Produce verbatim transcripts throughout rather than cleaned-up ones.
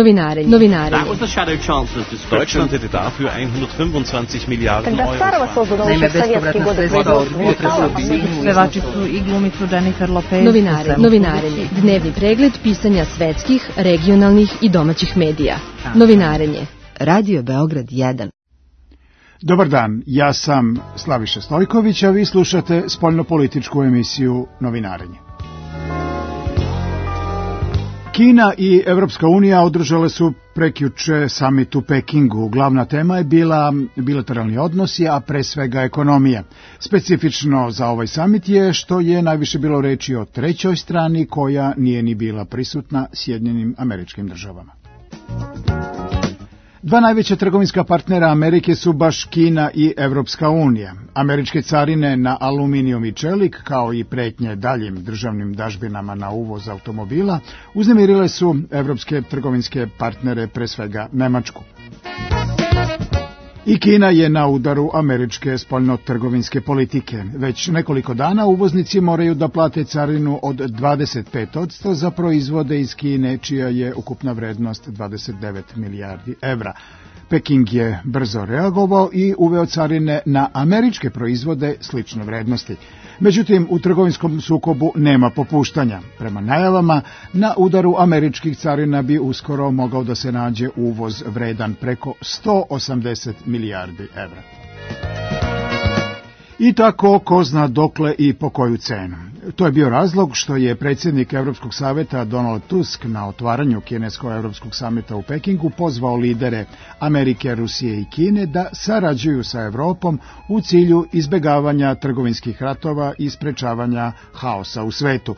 Novinarenje. Novinarenje. That was the shadow chancellor's description. Deutschland hätte dafür hundertfünfundzwanzig Milliarden Euro. Naime, bespovratna sredstva od potresa u Sinju. Pevačicu i glumicu Jennifer Lopez. Novinarenje. Novinarenje. Dnevni pregled pisanja svetskih, regionalnih i domaćih medija. Novinarenje. Radio Beograd jedan. Dobar dan, ja sam Slaviša Stojković, a vi slušate spoljnopolitičku emisiju Novinarenje. Kina i Evropska unija održale su prekjuče samit u Pekingu. Glavna tema je bila bilateralni odnosi, a pre svega ekonomija. Specifično za ovaj samit je što je najviše bilo reči o trećoj strani koja nije ni bila prisutna Sjedinjenim Američkim Državama. Dva najveća trgovinska partnera Amerike su baš Kina i Evropska unija. Američke carine na aluminijum i čelik, kao i pretnje daljim državnim dažbinama na uvoz automobila, uznemirile su evropske trgovinske partnere, pre svega Nemačku. I Kina je na udaru američke spoljnotrgovinske politike. Već nekoliko dana uvoznici moraju da plate carinu od dvadeset pet posto za proizvode iz Kine, čija je ukupna vrednost dvadeset devet milijardi evra. Peking je brzo reagovao i uveo carine na američke proizvode slične vrednosti. Međutim, u trgovinskom sukobu nema popuštanja. Prema najavama, na udaru američkih carina bi uskoro mogao da se nađe uvoz vredan preko sto osamdeset milijardi evra. I tako, ko zna dokle i po koju cenu. To je bio razlog što je predsjednik Evropskog saveta Donald Tusk na otvaranju kinesko-evropskog samita u Pekingu pozvao lidere Amerike, Rusije i Kine da sarađuju sa Evropom u cilju izbegavanja trgovinskih ratova i sprečavanja haosa u svetu.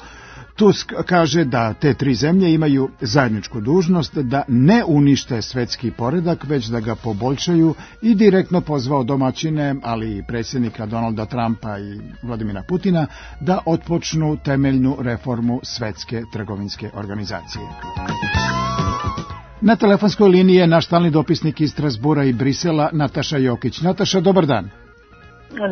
Tusk kaže da te tri zemlje imaju zajedničku dužnost da ne unište svetski poredak, već da ga poboljšaju, i direktno pozvao domaćine, ali i predsjednika Donalda Trumpa i Vladimira Putina, da otpočnu temeljnu reformu Svetske trgovinske organizacije. Na telefonskoj liniji je naš stalni dopisnik iz Strasbura i Brisela, Nataša Jokić. Nataša, dobar dan.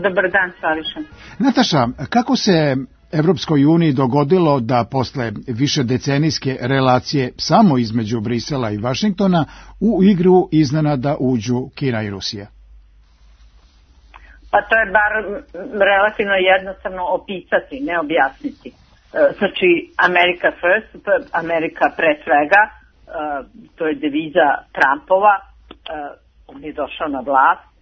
Dobar dan, Slaviša. Nataša, kako se Evropskoj uniji dogodilo da posle višedecenijske relacije samo između Brisela i Vašingtona u igru iznenada uđu Kina i Rusija? Pa to je bar relativno jednostavno opisati, ne objasniti. Znači, America first, Amerika pre svega, to je deviza Trumpova, on je došao na vlast,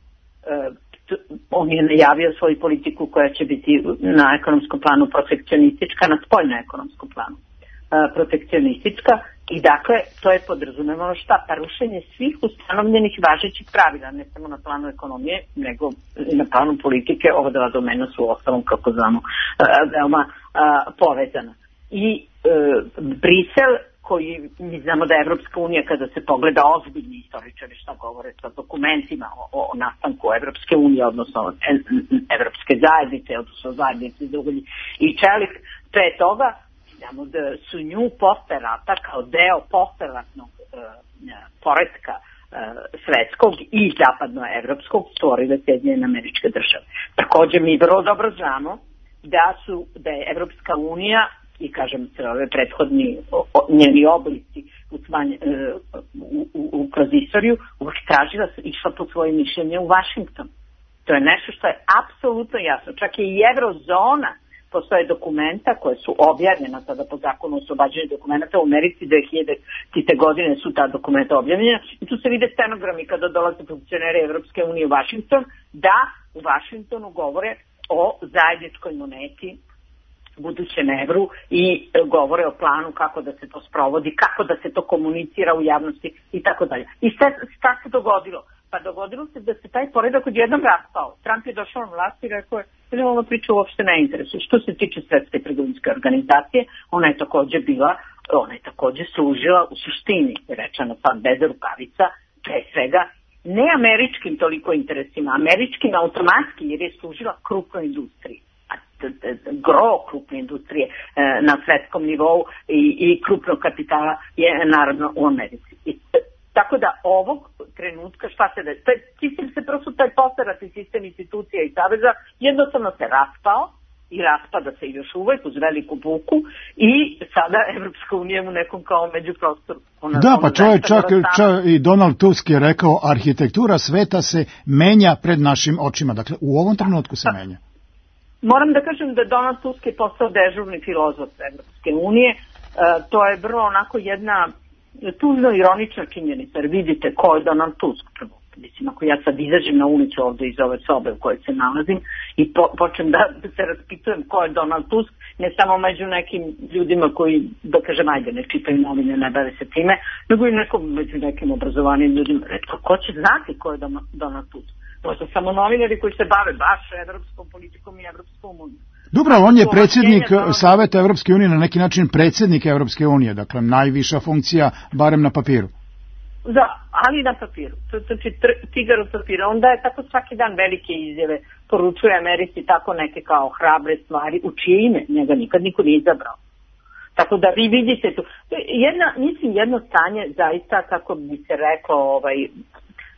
on je najavio svoju politiku koja će biti na ekonomskom planu protekcionistička, na spoljno-ekonomskom planu protekcionistička, i dakle to je podrazumevalo šta? Pa rušenje svih ustanovljenih važećih pravila, ne samo na planu ekonomije, nego i na planu politike. Ova dva domena su ostalom, kako znamo, veoma povezana. I Brisel, koji mi znamo da je Evropska unija, kada se pogleda ozbiljni istoričari šta govore sa dokumentima o, o nastanku Evropske unije, odnosno Evropske zajednice, odnosno zajednice za ugalj i čelik, pre toga znamo da su nju posle rata kao deo posleratnog e, poretka e, svetskog i zapadnoevropskog stvorile Sjedinjene Američke Države. Takođe mi vrlo dobro znamo da su da je Evropska unija i kažem se ove prethodni o, njeni oblici u, smanje, u, u, u kroz istoriju uvijek tražila, išla po svoje mišljenje u Vašington. To je nešto što je apsolutno jasno. Čak i Eurozona, postoje dokumenta koje su objavljena sada po zakonu o oslobađanju dokumenta u Americi, dve hiljadite godine su ta dokumenta objavljena, i tu se vide stenogrami kada dolaze funkcioneri Evropske unije u Vašington, da u Vašingtonu govore o zajedničkoj moneti, budućem evru, i govore o planu kako da se to sprovodi, kako da se to komunicira u javnosti i tako dalje. I šta se dogodilo? Pa dogodilo se da se taj poredak odjednom raspao. Trump je došao na vlast i rekao je da ova priča uopšte ne interesuje. Što se tiče Svetske trgovinske organizacije, ona je takođe bila, ona je takođe služila u suštini, rečeno sad bez rukavica, pre svega ne američkim toliko interesima, američkim automatski, jer je služila krupnoj industriji. Gro krupne industrije e, na svetskom nivou i, i krupnog kapitala je naravno u Americi. I, tako da ovog trenutka šta se da... Taj sistem se prosto, taj postarati sistem institucija i saveza jednostavno se raspao i raspada se još uvek uz veliku buku i sada Evropska unija u nekom kao međuprostoru. Ona, da, pa čovjek čak, čak i Donald Tusk je rekao arhitektura sveta se menja pred našim očima. Dakle, u ovom trenutku se menja. Moram da kažem da Donald Tusk je postao dežurni filozof Evropske unije. E, to je vrlo onako jedna tužno ironična činjenica, jer vidite ko je Donald Tusk prvo. Mislim, ako ja sad izađem na ulicu ovde iz ove sobe u kojoj se nalazim i po, počnem da se raspitujem ko je Donald Tusk, ne samo među nekim ljudima koji, da kažem, ajde, ne čitaju novine, ne bave se time, nego i nekom, među nekim obrazovanim ljudima. Retko, ko će znati ko je Donald Tusk? To su samo novinari koji se bave baš evropskom politikom i Evropskom unijom. Dobro, on je predsjednik Saveta Evropske unije, na neki način predsjednik Evropske unije, dakle najviša funkcija, barem na papiru. Da, ali na papiru. To je znači tigar od papira. Onda je tako svaki dan velike izjave, poručuje Americi tako neke kao hrabre stvari, u čije ime njega nikad niko nije izabrao. Tako da vi vidite tu. Jedna, mislim, jedno stanje zaista, kako bi se reklo, ovaj,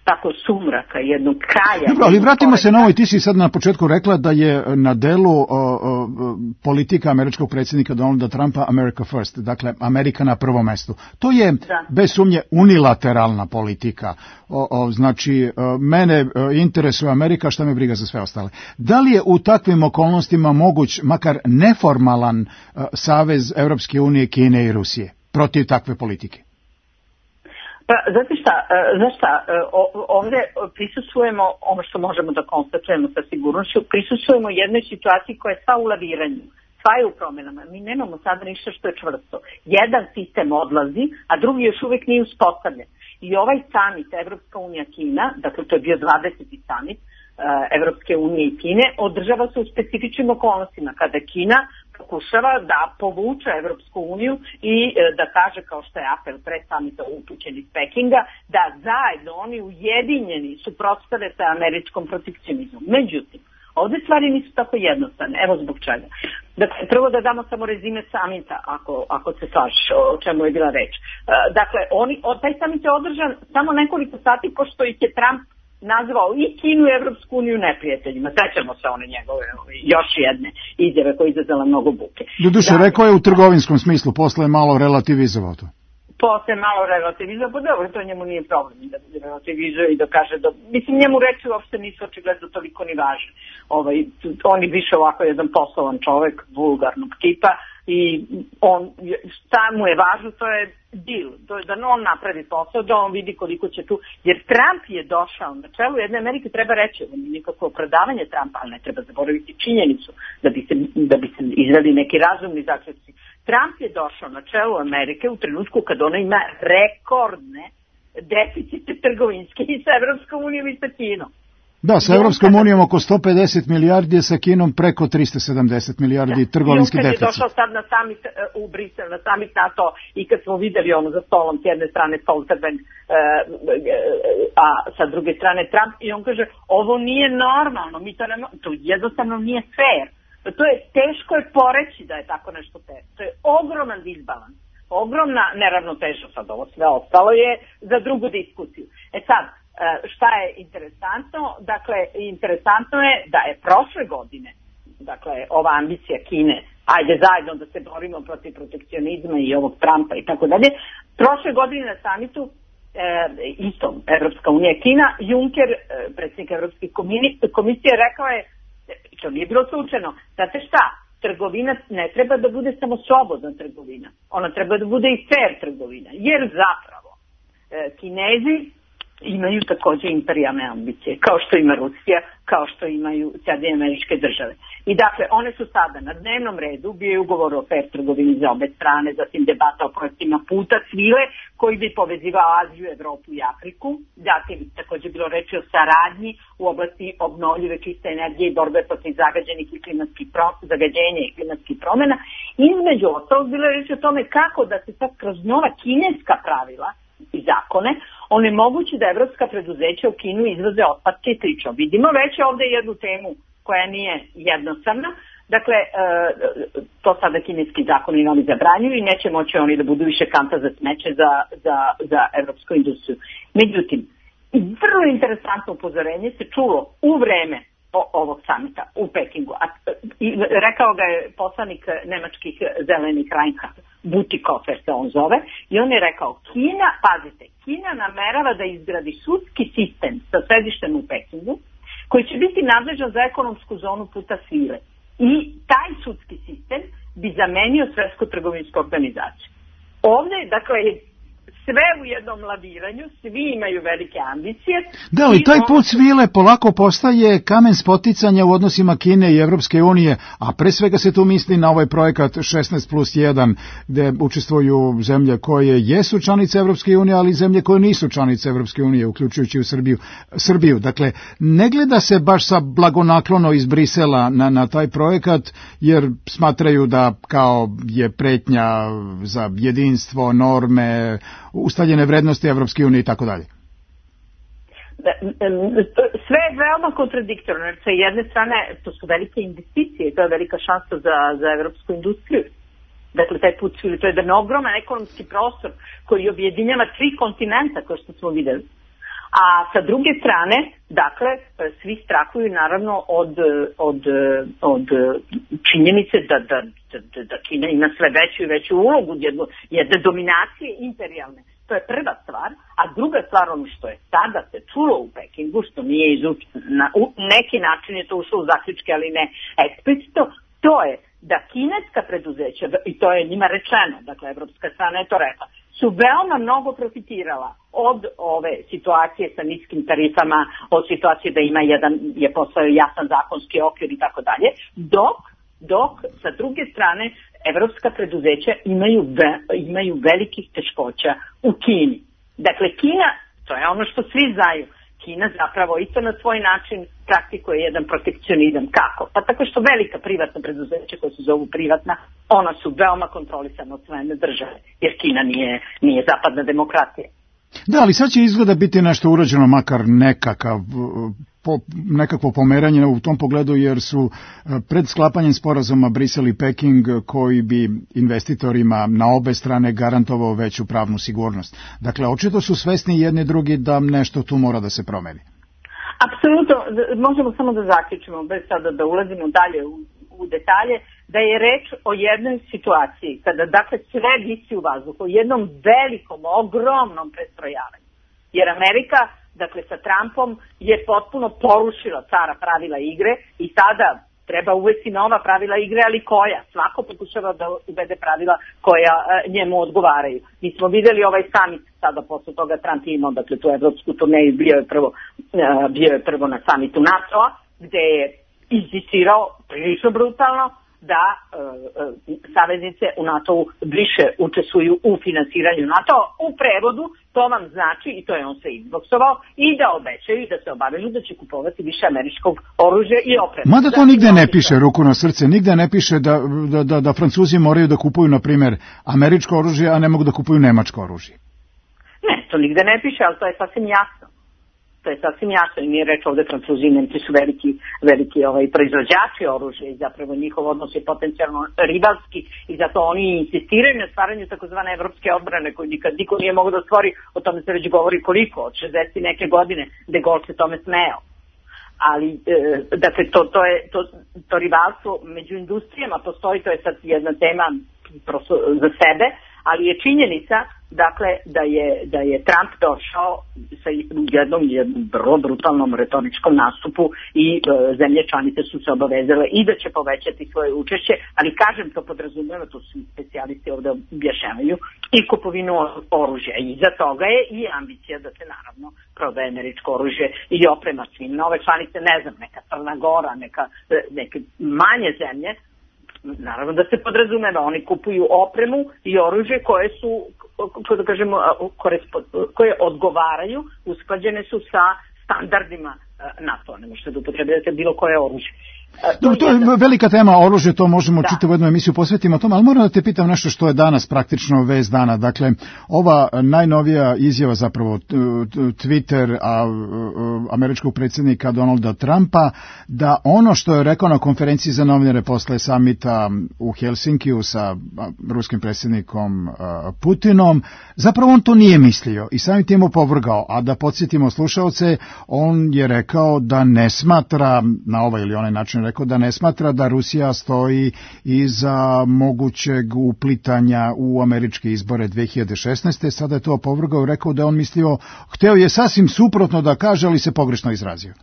tako sumraka, jednog kraja. Dobro, ali vratimo se na ovo i ti si sad na početku rekla da je na delu o, o, politika američkog predsjednika Donalda Trumpa America First, dakle Amerika na prvom mestu. To je da. bez sumnje unilateralna politika. O, o, znači, o, mene interesuje Amerika, šta me briga za sve ostale. Da li je u takvim okolnostima moguć makar neformalan o, savez Evropske unije, Kine i Rusije protiv takve politike? Pa, znate šta, znaš šta, ovdje prisustvujemo, ono što možemo da konstatujemo sa sigurnošću, prisustvujemo jednoj situaciji koja je sva u laviranju, sva je u promenama. Mi nemamo sada ništa što je čvrsto. Jedan sistem odlazi, a drugi još uvijek nije uspostavljen. I ovaj summit Evropska unija Kina, dakle to je bio dvadeseti summit Evropske unije i Kine, održava se u specifičnim okolnostima kada Kina pokušava da povuče Evropsku uniju i da kaže, kao što je apel pre samita upućen iz Pekinga, da zajedno oni ujedinjeni suprotstave sa američkom protekcionizmom. Međutim, ovdje stvari nisu tako jednostavne. Evo zbog čega. Dakle, prvo da damo samo rezime samita, ako, ako se slažeš o čemu je bila reč. Dakle, oni, taj samit je održan samo nekoliko sati, pošto ih je Trump nazvao i Kinu i Evropsku uniju neprijateljima. Sećamo se one njegove još jedne izjave koja je izazvala mnogo buke. Doduše, dakle, rekao je u trgovinskom smislu, posle je malo relativizovao to. Posle je malo relativizovao, pa dobro, to njemu nije problem da relativizuje i da kaže da, mislim, njemu reči uopšte nisu očigledno toliko ni važne. Ovaj, on je više ovako jedan poslovan čovek, vulgarnog tipa, i on, šta mu je važno, to je deal, to je da on napravi posao, da on vidi koliko će tu, jer Trump je došao na čelu jedne Amerike, treba reći, on je nikakvo opravdavanje Trumpa, ali ne treba zaboraviti činjenicu da bi se, da bi se izveli neki razumni zaključci. Trump je došao na čelu Amerike u trenutku kad ona ima rekordne deficite trgovinske i sa Evropskom unijom i sa Kinom. Da, sa Evropskom unijom oko sto pedeset milijardi, sa Kinom preko tristo sedamdeset milijardi trgovinski deficit. I on kad je došao sad na summit u Brisel, na summit NATO, i kad smo videli ono za stolom s jedne strane Stoltenberg, a sa druge strane Trump, i on kaže, ovo nije normalno, mi to, ne, to jednostavno nije fair. To je teško je poreći da je tako nešto fair. To je ogroman disbalans, ogromna neravnoteža, sad ovo sve ostalo je za drugu diskusiju. E sad, šta je interesantno? Dakle, interesantno je da je prošle godine, dakle, ova ambicija Kine, ajde zajedno da se borimo protiv protekcionizma i ovog Trumpa i tako dalje, prošle godine na samitu, e, isto Evropska unija Kina, Juncker, e, predsjednik Evropske komisije, rekao je, to nije bilo slučajno, znate šta, trgovina ne treba da bude samo slobodna trgovina, ona treba da bude i fair trgovina, jer zapravo e, Kinezi imaju također imperijalne ambicije, kao što ima Rusija, kao što imaju Sjedinjene Američke Države. I dakle, one su sada na dnevnom redu, bio je ugovor o fair trgovini za obe strane, zatim debata o projektima puta svile, koji bi povezivao Aziju, Evropu i Afriku, zatim također bilo reči o saradnji u oblasti obnovljive čiste energije i borbe protiv zagađenih i klimatskih pro, zagađenja i klimatskih promjena. Između ostalog bilo je reči o tome kako da se sad kroz nova kineska pravila i zakone onemogući da evropska preduzeća u Kinu izvoze otpadke i slično. Vidimo već ovdje jednu temu koja nije jednostavna. Dakle, to sada kineski zakoni novi zabranjuju i neće moći oni da budu više kanta za smeće za, za, za evropsku industriju. Međutim, vrlo interesantno upozorenje se čulo u vreme ovog samita u Pekingu. A, i, rekao ga je poslanik nemačkih zelenih Reinhard Bütikofer se on zove, i on je rekao, Kina, pazite, Kina namerava da izgradi sudski sistem sa sedištem u Pekingu, koji će biti nadležan za ekonomsku zonu puta svile. I taj sudski sistem bi zamenio Svetsku trgovinsku organizaciju. Ovdje, dakle, sve u jednom laviranju, svi imaju velike ambicije. Da, ali taj put svile polako postaje kamen spoticanja u odnosima Kine i Evropske unije, a pre svega se tu misli na ovaj projekat šesnaest plus jedan, gde učestvuju zemlje koje jesu članice Evropske unije, ali zemlje koje nisu članice Evropske unije, uključujući u Srbiju. Srbiju. Dakle, ne gleda se baš sa blagonaklono iz Brisela na, na taj projekat, jer smatraju da kao je pretnja za jedinstvo, norme, ustaljene vrednosti Evropske unije i tako dalje. Sve je veoma kontradiktorno, jer sa jedne strane to su velike investicije, to je velika šansa za, za evropsku industriju. Dakle, taj put, to je jedan ogroman ekonomski prostor koji objedinjava tri kontinenta, kao što smo videli. A sa druge strane, dakle, svi strahuju naravno od, od, od činjenice da, da, da, da Kina ima sve veću i veću ulogu, jedne, jedne dominacije imperijalne. To je prva stvar. A druga stvar, ono što je sada se čulo u Pekingu, što nije izučeno, na u neki način je to ušlo u zaključke, ali ne eksplicitno, to je da kineska preduzeća, i to je njima rečeno, dakle, evropska strana je to rekla, su veoma mnogo profitirala od ove situacije sa niskim tarifama, od situacije da ima jedan, je postao jasan zakonski okvir i tako dalje, dok, dok sa druge strane evropska preduzeća imaju, ve, imaju velikih teškoća u Kini. Dakle, Kina, to je ono što svi znaju, Kina zapravo isto na svoj način praktikuje jedan protekcionizam. Kako? Pa tako što velika privatna preduzeća koja se zovu privatna, ona su veoma kontrolisana od strane države, jer Kina nije, nije zapadna demokratija. Da, ali sad će izgleda biti nešto urađeno, makar nekakav, po, nekakvo pomeranje u tom pogledu, jer su pred sklapanjem sporazuma Brisel i Peking, koji bi investitorima na obe strane garantovao veću pravnu sigurnost. Dakle, očito su svesni jedni drugi da nešto tu mora da se promeni. Apsolutno, možemo samo da zaključimo, bez sada da ulazimo dalje u, u detalje, da je reč o jednoj situaciji kada, dakle, sve visi u vazduhu, o jednom velikom, ogromnom prestrojavanju. Jer Amerika, dakle, sa Trumpom je potpuno porušila stara pravila igre i sada treba uvesti nova pravila igre, ali koja? Svako pokušava da uvede pravila koja njemu odgovaraju. Mi smo videli ovaj summit sada posle toga Trump imao, dakle, tu evropsku turneju, bio je prvo, bio je prvo na summitu NATO-a, gde je insistirao prilično brutalno da e, e, saveznice u NATO-u više učestvuju u finansiranju NATO-a. U prevodu to vam znači, i to je on se izboksovao, i da obećaju i da se obavežu da će kupovati više američkog oružja i opreme. Mada to nigde ne piše, ruku na srce, nigde ne piše da, da, da, da Francuzi moraju da kupuju, na primjer, američko oružje, a ne mogu da kupuju nemačko oružje. Ne, to nigde ne piše, ali to je sasvim jasno. To je sasvim jasno i nije reč ovde Francuzi, Nemci su veliki, veliki ovaj, proizvođači oružja i zapravo njihov odnos je potencijalno rivalski i zato oni insistiraju na stvaranju takozvane evropske odbrane koju nikad niko nije mogao da stvori, o tome se već govori koliko, od šezdeset neke godine, De Gaulle se tome smeo. Ali, e, dakle, to, to, je, to, to rivalstvo među industrijama postoji, to je sad jedna tema prosto za sebe, ali je činjenica, dakle, da je, da je Trump došao sa jednom, jednom vrlo brutalnom retoričkom nastupu i e, zemlje članice su se obavezale i da će povećati svoje učešće, ali kažem, to podrazumeva, to su specijalisti ovde objašnjavaju, i kupovinu oružja. I za toga je i ambicija da se naravno prodaje američko oružje i oprema svim nove članice, ne znam, neka Crna Gora, neka, neke manje zemlje, naravno da se podrazumeva, oni kupuju opremu i oružje koje su, kako da kažemo, koje odgovaraju, usklađene su sa standardima NATO, ne možete da upotrebljate bilo koje oružje. To, to je velika tema, oružje, to možemo da. čitavu jednu emisiju posvetimo tome, ali moram da te pitam nešto što je danas praktično vest dana. Dakle, ova najnovija izjava, zapravo Twitter a, američkog predsjednika Donalda Trumpa, da ono što je rekao na konferenciji za novinare posle samita u Helsinkiju sa ruskim predsjednikom Putinom, zapravo on to nije mislio i samim tim opovrgao. A da podsjetimo slušaoce, on je rekao da ne smatra, na ovaj ili onaj način rekao da ne smatra da Rusija stoji iza mogućeg uplitanja u američke izbore dve hiljade šesnaeste. Sada je to opovrgao i rekao da on mislio, hteo je sasvim suprotno da kaže, ali se pogrešno izrazio.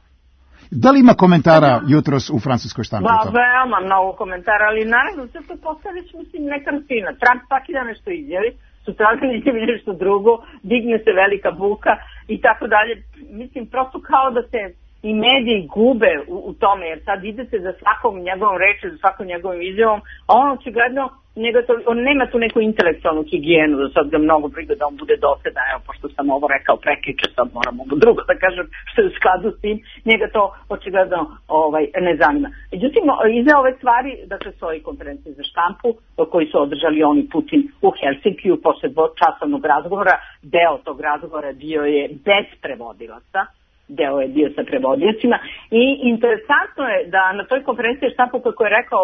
Da li ima komentara jutros u francuskoj štampi? Ba, veoma mnogo komentara, ali naravno sve to postavić, mislim, neka rutina. Trump svaki dan nešto izjavi, sutradan izjavi nešto drugo, digne se velika buka i tako dalje. Mislim, prosto kao da se i mediji gube u, u tome, jer sad idete za svakom njegovom reču, za svakom njegovom izjavom, a on očigledno, njega to, on nema tu neku intelektualnu higijenu, da sad ga mnogo briga da on bude dosadan, evo, pošto sam ovo rekao prekriče, sad moram ovo drugo da kažem što je u skladu s tim, njega to očigledno ovaj, ne zanima. Međutim, iza ove stvari, dakle, svoje konferencije za štampu, koji su održali oni Putin u Helsinkiju, posle dvočasovnog razgovora, deo tog razgovora bio je bez prevodilaca, deo je bio sa prevodiocima i interesantno je da na toj konferenciji štampu kako je rekao,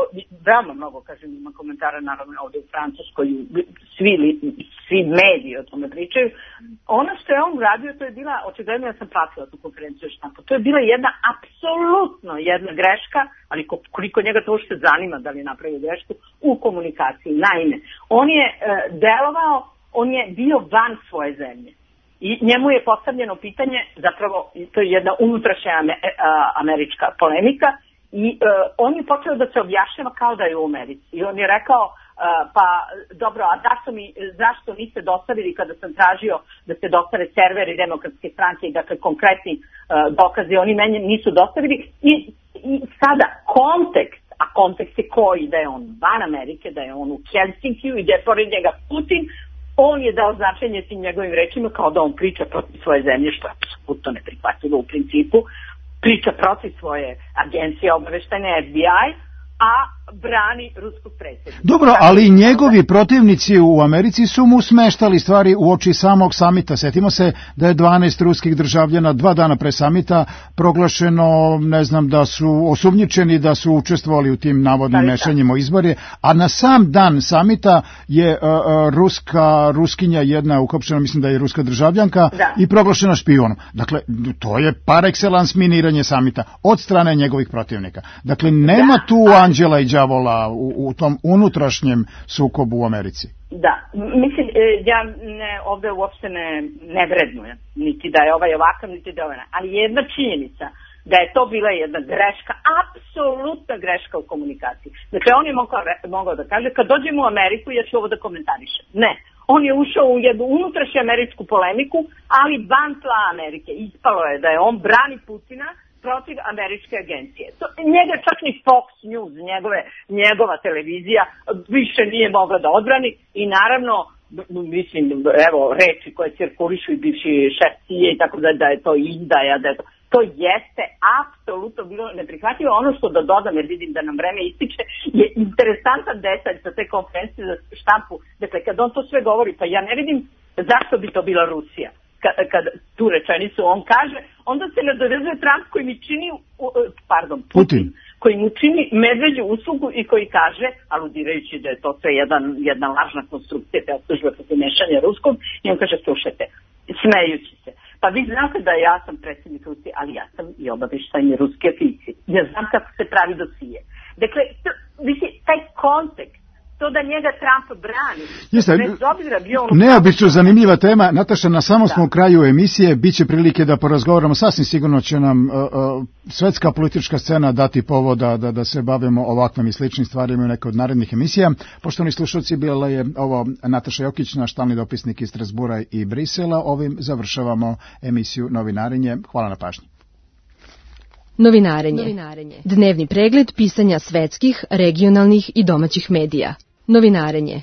veoma mnogo, kažem, ima komentara naravno ovdje u Francuskoj, svi, svi mediji o tome pričaju. Ono što je on uradio, to je bila, očigledno ja sam pratila tu konferenciju štampu, to je bila jedna apsolutno jedna greška, ali koliko njega to uopšte zanima da li je napravio grešku u komunikaciji. Naime, on je e, delovao, on je bio van svoje zemlje. I njemu je postavljeno pitanje, zapravo to je jedna unutrašnja američka polemika i uh, on je počeo da se objašnjava kao da je u Americi. I on je rekao, uh, pa dobro, a zašto, mi, zašto niste dostavili kada sam tražio da se dostave serveri Demokratske stranke i dakle konkretni uh, dokazi, oni meni nisu dostavili. I, i sada kontekst, a kontekst je koji, da je on van Amerike, da je on u Helsinkiju i da je pored njega Putin, on je dao značenje tim njegovim rečima kao da on priča protiv svoje zemlje, što je apsolutno neprihvatljivo u principu, priča protiv svoje agencije obaveštajne F B I, a brani ruskog predsjednika. Dobro, ali njegovi protivnici u Americi su mu smeštali stvari u oči samog samita. Sjetimo se da je dvanaest ruskih državljana dva dana pre samita proglašeno, ne znam, da su osumnjičeni da su učestvovali u tim navodnim mešanjima u izbore, a na sam dan samita je uh, uh, ruska, ruskinja jedna uhapšena, mislim da je ruska državljanka, da. I proglašena špijonom. Dakle, to je par excellence miniranje samita od strane njegovih protivnika. Dakle, nema da, tu a... anđela i đavola u, u tom unutrašnjem sukobu u Americi. Da, mislim, ja ne, ovdje uopšte ne, ne vrednujem, niti da je ovaj ovakav, niti da je ovaj, ali jedna činjenica da je to bila jedna greška, apsolutna greška u komunikaciji. Dakle, on je mogao, mogao da kaže, kad dođemo u Ameriku, ja ću ovo da komentarišem. Ne, on je ušao u jednu unutrašnju američku polemiku, ali van tla Amerike. Ispalo je da je on brani Putina protiv američke agencije. To, njega čak ni Fox News, njegove, njegova televizija, više nije mogla da odbrani i naravno, mislim, evo, reči koje cirkulišu i bivši šef C I A i tako da, da je to izdaja, da je to, to jeste apsolutno bilo neprihvatljivo. Ono što da dodam, jer vidim da nam vreme ističe, je interesantan detalj sa te konferencije za štampu. Dakle, kad on to sve govori, pa ja ne vidim zašto bi to bila Rusija. Kad, kad tu rečenicu on kaže, onda se nadovezuje Trump koji mi čini, pardon, Putin, Putin, koji mu čini medveđu uslugu i koji kaže, aludirajući da je to sve jedan, jedna lažna konstrukcija, te optužbe protiv mešanja ruskom, i on kaže, slušajte, smejući se. Pa vi znate da ja sam predsjednik Rusije, ali ja sam i obavještajni ruski oficir. Ja znam kako se pravi dosije. Dakle, to, vidi, taj kontekst, to da njega Trump brani. Jeste, bez obzira bio ono... Neobično zanimljiva tema. Nataša, na samom smo u kraju emisije, bit će prilike da porazgovaramo, sasvim sigurno će nam uh, uh, svetska politička scena dati povoda da, da se bavimo ovakvim i sličnim stvarima u nekoj od narednih emisija. Poštovani slušalci, bila je ovo Nataša Jokić, naš stalni dopisnik iz Strasbura i Brisela. Ovim završavamo emisiju Novinarenje. Hvala na pažnji. Novinarenje. Novinarenje. Dnevni pregled pisanja svetskih, regionalnih i domaćih medija. Novinarenje.